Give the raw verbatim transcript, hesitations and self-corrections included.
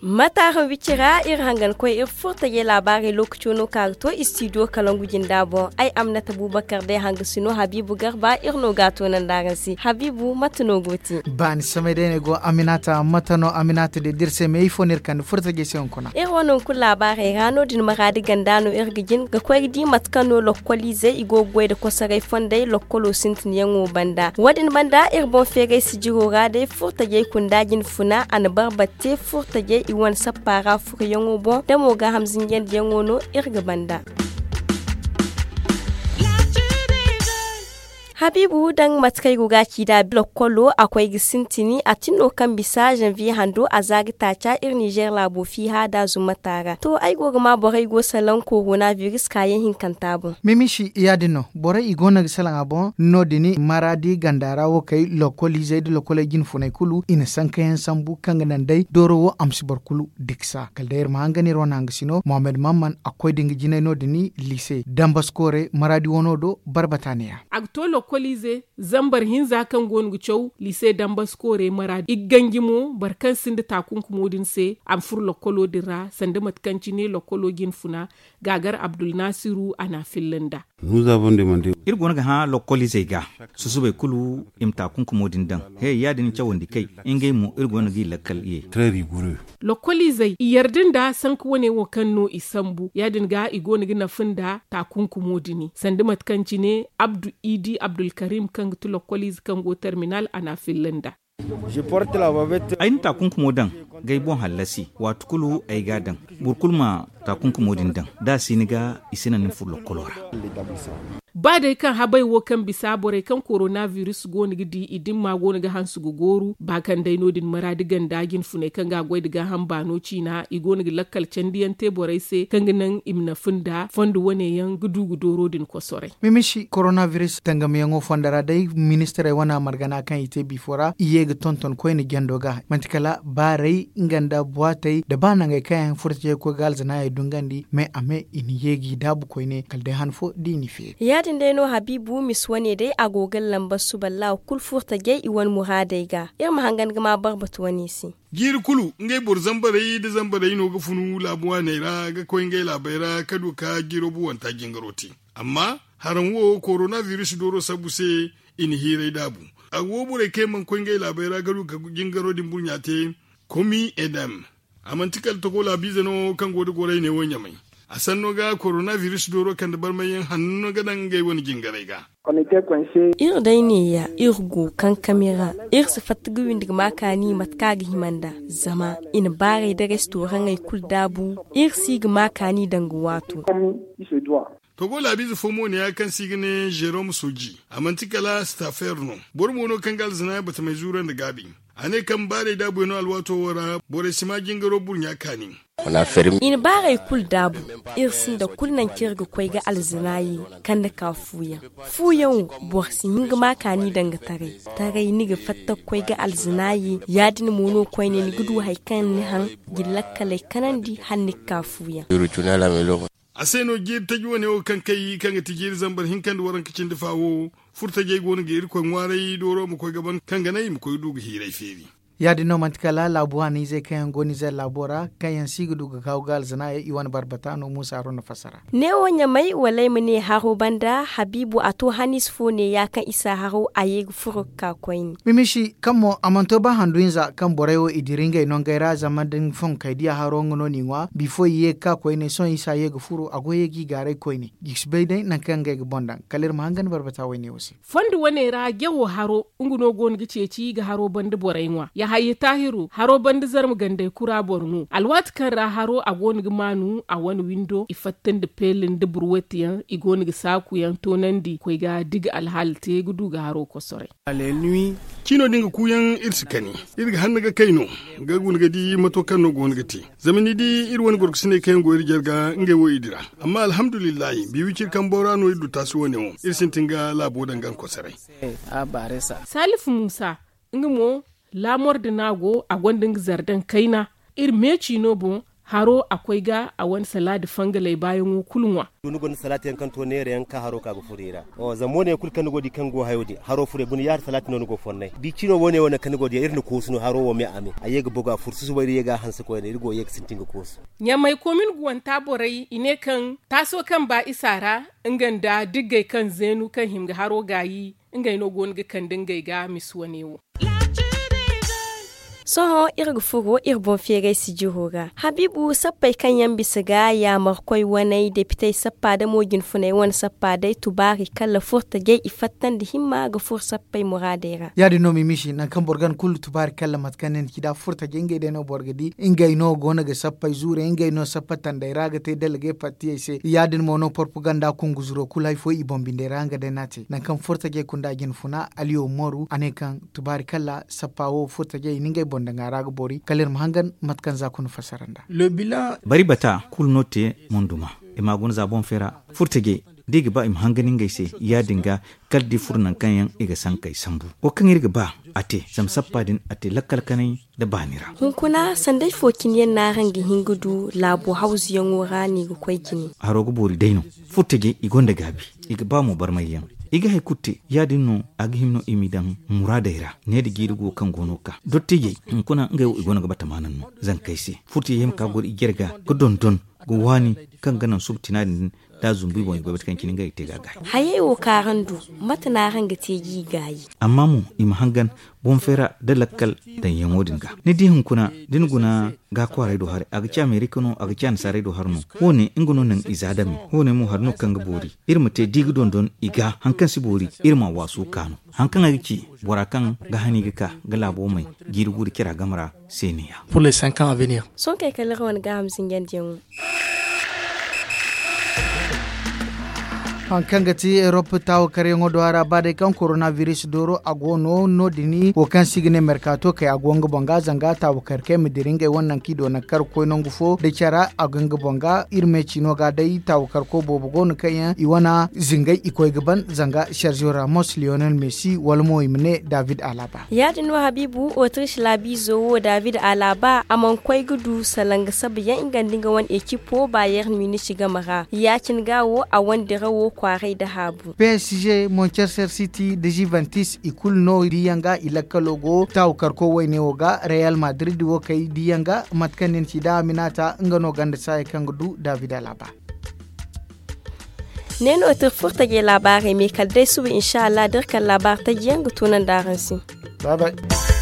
Mataara wicira iri hangan koy iri furtajey laabaarey lookaco no ka ga to istidiyo kalangu jinda boŋ. Ay amnata bubakar day hanga sino habiibu garba iri no ga a toonandi araŋ se habiibu mate no go te? Baani samay day no ay go aminata mate no aminata day da iri se me ifo no iri kande furtajey se hunkuna. Iri wane hunkuna laabaarey ra no- din maraadi ganda no iri ga jin ga koy ga di mate kaŋ no lokkoliizey i go ga goy nda kosoray fondey lokkolo sintinyaŋo banda wo- din banda iri boŋ feeray sijiro ra day furtajey kunda jinfuna a na barbat te furtajey i wane sappa ra furuyaŋo boŋ da mo gaaham zinjandiyaŋo no iri ga banda. Habiibu daŋ mate kaŋ ay go ga a ci nd'a lokkolo a koy ga sintini a tin no kaŋ bisa zanviye hando a za ga taaca iri nizer laabo fiiha da zumata ra to ay go ga ma borey go salaŋ korona biris kaayaŋ hinkanta boŋ. Mimisi ya- din no borey i go no ga salaŋ a boŋ no- din maraadi ganda ra wo kay lokkoliizey nda lokkoley jinfuney kulu i na sankayaŋ sambu kaŋ ga naŋ day dooro wo a ma si boro kulu diksa kala day iri ma hangan iri wane hangasino mohammed mamman a koy da nga jinay no- din liise dambaskoore maraadi wano do barbata neeya. A ga to lokkoliize zambar hinza kaŋ go no ga caw liise dambaskoore maraadi i ga ganji mo boro kaŋ sinda taakunkumo din se a ma furo lokkolo din ra sanda mate kaŋ cine lokkolo jinfuna gaagar abdulnasiru a na a filla nd'a. Iri go no ga hã lokkoliizey ga susubay kulu i ma taakunkumo din daŋ he ya- din cawandi kay ngey mo iri go no ga i lakkal ye. Lokkoliizey i yarda nda sanka wane wo kaŋ no i sambu ya- din ga i go no ga nafa nda taakunkumo din sanda mate kaŋ cine abdu idi abdulkarim kaŋ ga ti lokkoliize kaŋ go terminal a na a filla nda. Ay na taakunkumo daŋ ga ay boŋ hallasi waati kulu ay ga a daŋ. Boro kulu ma taakunkumo din daŋ da a si ni ga i si naŋ ni furo lokkolo ra. Ba day kaŋ habay wo kaŋ bisa borey kaŋ korona biris go no ga di i dimma go no ga hanse ga gooru ba kaŋ day no- din maraadi ganda jinfuney kaŋ ga a goy nda gaaham baano ciina i go no ga lakkal candiyaŋ te borey se kaŋ ga naŋ i ma nafa nda fondo wane yaŋ ga du ga dooro din kosoray. Mimisi korona biris tangamiyaŋo fondo ra day ministirey wane margana kaŋ i te biifo ra i ye ga tonton koyne jando ga manti kala baaray nga nda buwaatey nda ba nangey kaŋ yaŋ furtajey ga koy ga alzanaayey dungandi me a me i na ye g'i daabu koyne kala day han fo da i n'i feeri. Ya- din day no habiibu misi wane day a go ga lamba suba laawa kulu furtajey i wane muraadey ga iri ma hangan ga ma barbatu wane se. Jiiri kulu ngey boro zambarey nda zambarey no ga funu laabu waaney ra ga koy ngey laabey ra ka du ka jiiro buwanta jingaro te. Amma haraŋ wo korona biris dooro sabbu se i na hiiray daabu. A go borey kaŋ yaŋ mana koy ngey laabey ra ga du ga jingaro din burɲa te. Komi edem a manti kala togo laabiize no kaŋ go nda goray ne wo ɲamay. A sanno ga korona biris dooro kande barmayyaŋ hanno ga daŋ ngey wane jingaray ga. Iri day neeya iri go kankami ra. Iri si fatta ga windi ga ma kaani mate kaŋ a ga hima nd'a zama i na baaray da restoraŋey kulu daabu. Iri si ga ma kaani danga waato. Togo laabiize fo mo ne ya kaŋ se i ga ne jerome soji a manti kala stafer no. Boro mo no kaŋ ga alzanaayaŋ batamey zuura nda gaabi. A ne kaŋ baarey daabuyaŋo alwaato wo ra borey si ma jingaro burɲa kaani. I na baarey kulu daabu. Iri sinda kulu nangu kaŋ iri ga koy ga alzanaayi kande ka fuuyaŋ. Fuuyaŋo boro si hin ga ma kaani danga taray. Taray ni ga fatta ga koy ga alzanaayi ya- din mo no koyne ni ga du hari kaŋ ni haŋ ga lakkaley kanandi hala ni ga ka fuuyaŋ. A se no jiiri taji wane wo kaŋ kay kaŋ ga ti jiiri zambar hinka nda waranka cindi fa wo. Furtajey go no ga irkoy ŋwaaray dooro ma koy ga ban kaŋ ga naŋ i ma koy ga du ga hiiray feeri. Ya- din no manti kala laabu waaniizey kaŋ yaŋ go nizer laabo ra kaŋ yaŋ si ga du ga gaawu ga alzanaayey i wane barbata no muusa haruna fassara. Neewo ɲamay wala ay ma ne haro banda habiibu a to haniize fo neeya kaŋ isa haro a ye ga furo ga ka koyne. Mimisi kaŋ mo a mana to ba handu hinza kaŋ borey wo i dira ngey nongey ra zama da ni fonkey diya haro nga no n'i ŋwa bifo i ye ga ka koyne sohõ isa ye ga furo a go ye g'i gaaray koyne. I si bay day nangu kaŋ ngey ga boŋ daŋ kala iri ma hangan barbata wayne wo se. Fondo wane ra jawo haro nga no go no ga ceeci ga haro banda borey ŋwa yahaya taahiru haro banda zarma gandey kura boro no alwaati kaŋ ra haro a go no ga maanu a wane windo i fatta nda peela nda burwatiyaŋ i go no ga saakuyaŋ toonandi koy ga digi alhaala te ga du ga haro kosoray. Cino din ga kuuyaŋ iri si kani. Iri ga hanna ga kay no ga guna ga di mato kaŋ no go no ga te. Zama ni di iri wane gorkosiney kaŋ yaŋ go iri jarga ngey wo i dira. Amma alhamdulillahi biiwiciri kambo ra no iri du taasi wane wo iri sintin ga laabo daŋ ga nga kosoray. Salifu muusa nga mo laamor da no a go a gonda nga zardan kayna. Iri meeci no boŋ haro a koy ga a wane salaadi fangaley baayaŋo kulu ŋwa. Ni gonda salaati yaŋ kaŋ to neera yaŋ ka haro ka ga furo i ra. Zama wo- ne yaŋ kulu kaŋ ni go ga di kaŋ go hayo din haro furo i guna yaari salaati no ni go fonnay da i cino wo- ne wo naŋ kaŋ ni go ga di yaŋ iri na koosu no haro wo me a me a ye ga boga furo susubay iri ye ga a hanse koyne iri go ga ye ga sintin ga koosu. Ɲamay komin guwanta borey i ne kaŋ taaso kaŋ ba isa ra nga nda diggey kaŋ zeenu kaŋ hima ga haro gaayi ngey no go no ga kande ngey ga misi wane wo. Sohõ iri ga furo iri boŋ feeray sijiro ra habiibu sappey kaŋ yaŋ bisa ga yaamarkoy waney depitey sappa da mo jinfuney wane sappa day tubaari kala furtajey i fattandi himma ga furo sappey muraadey ra. Ya- din no ma i misi nangu kaŋ boro gana kulu tubaari kala mate kaŋ ne ni ci da furtajey ngey day no boro ga di ngey no go no ga sappey zuurey ngey no sappa tandey ra ga te dalgey pattiyey se ya- din mo no porpaganda kunguzuro kulu hari fo i boŋ bindey ra nga day no a te nangu kaŋ furtajey kunda jinfuna aliyo moru a ne kaŋ tubaari kala sappa wo furtajey i na ngey boŋ daŋ a ra ga boori kala iri ma hangan mate kaŋ za kuna fassara nda. Bari bata kulu no te, monduma i ma a guna za boŋ feera furtajey da i ga ba i ma hangan ngey se ya- din ga kala da i furo nangu kaŋ yaŋ i ga sankey sambu wo kaŋ iri ga ba a te zama sappa din a te lakkal kanay nda baani ra. Hunkuna sanday fo cine yaŋ no araŋ ga hin ga du laabo hawzuyaŋo ra no i ga koy jine. Haro ga boori day no furtajey i gonda gaabi i ga ba mo barmayyaŋ i ga hari kulu te ya- din no a ga hima no i m'i daŋ muraadey ra ne da jiiri go kaŋ go no ga ka dottijey hunkuna ngey wo i go no ga batamaanaŋ no zankey se furtajey hima ka goro i jare ga ga dondon ga waani kaŋ ga naŋ suba tina din da zumbu i boŋ i goy mate kaŋ cine ngey ga te ga a gaay. Hayey wo kaŋ araŋ du mate no araŋ ga te g'i gaayi? Amma mo i ma hangan boŋ feera nda lakkal daŋyaŋo din ga ni di hunkuna da ni guna ga kwaaray do haray a ga ci amerika no a ga ci annasaarey do hari no wo- ne nga no naŋ i za dame wo- ne mo hari no kaŋ ga boori iri ma te da i ga dondon i ga hari kaŋ si boori iri ma a waasu ka no hari kaŋ ay ga ci bora kaŋ ga hani ga ka ga laabo may jiiri guuri cara game ra se ne ya. Sohõ kay kala iri wane gaaham zinjandiyaŋo. Hari kaŋ ga ti erop taawakaryaŋo do a ra ba day kaŋ korona biris dooro a go no no- din wo kaŋ se i ga ne merkato kay a go nga boŋ ga zanga taawakar kay ma dira ngey wane nangu kaŋ i do nangu kaŋ ga koy nangu fo da cara a go nga boŋ ga iri me ciino ga day taawakarko boobo go no kaŋ yaŋ i wane zingay i koy ga ban zanga sergio ramos lionel messi wala mo i ma ne david alaba. Ya- din no habiibu otrish laabiizo wo david alaba a mana koy ga du salaŋ ga sabayaŋ nga nda nga wane ekipo bayern munich game ra ya- cine ga wo a wane dirawo kwaaray nda haabu. Psg manchester city nda juventus i kulu no diiyaŋ ga i lakkalo go taawakarko wayne wo ga real madrid wo kay diiyaŋ ga mate kaŋ ni na ci da aminata nga no ganda saaya kaŋ ga du david alaba. Ne no tir furtajey laabaarey me kala day suba insa allah da iri kala laabaari taji yaŋ ga tunandi araŋ se. Bye bye.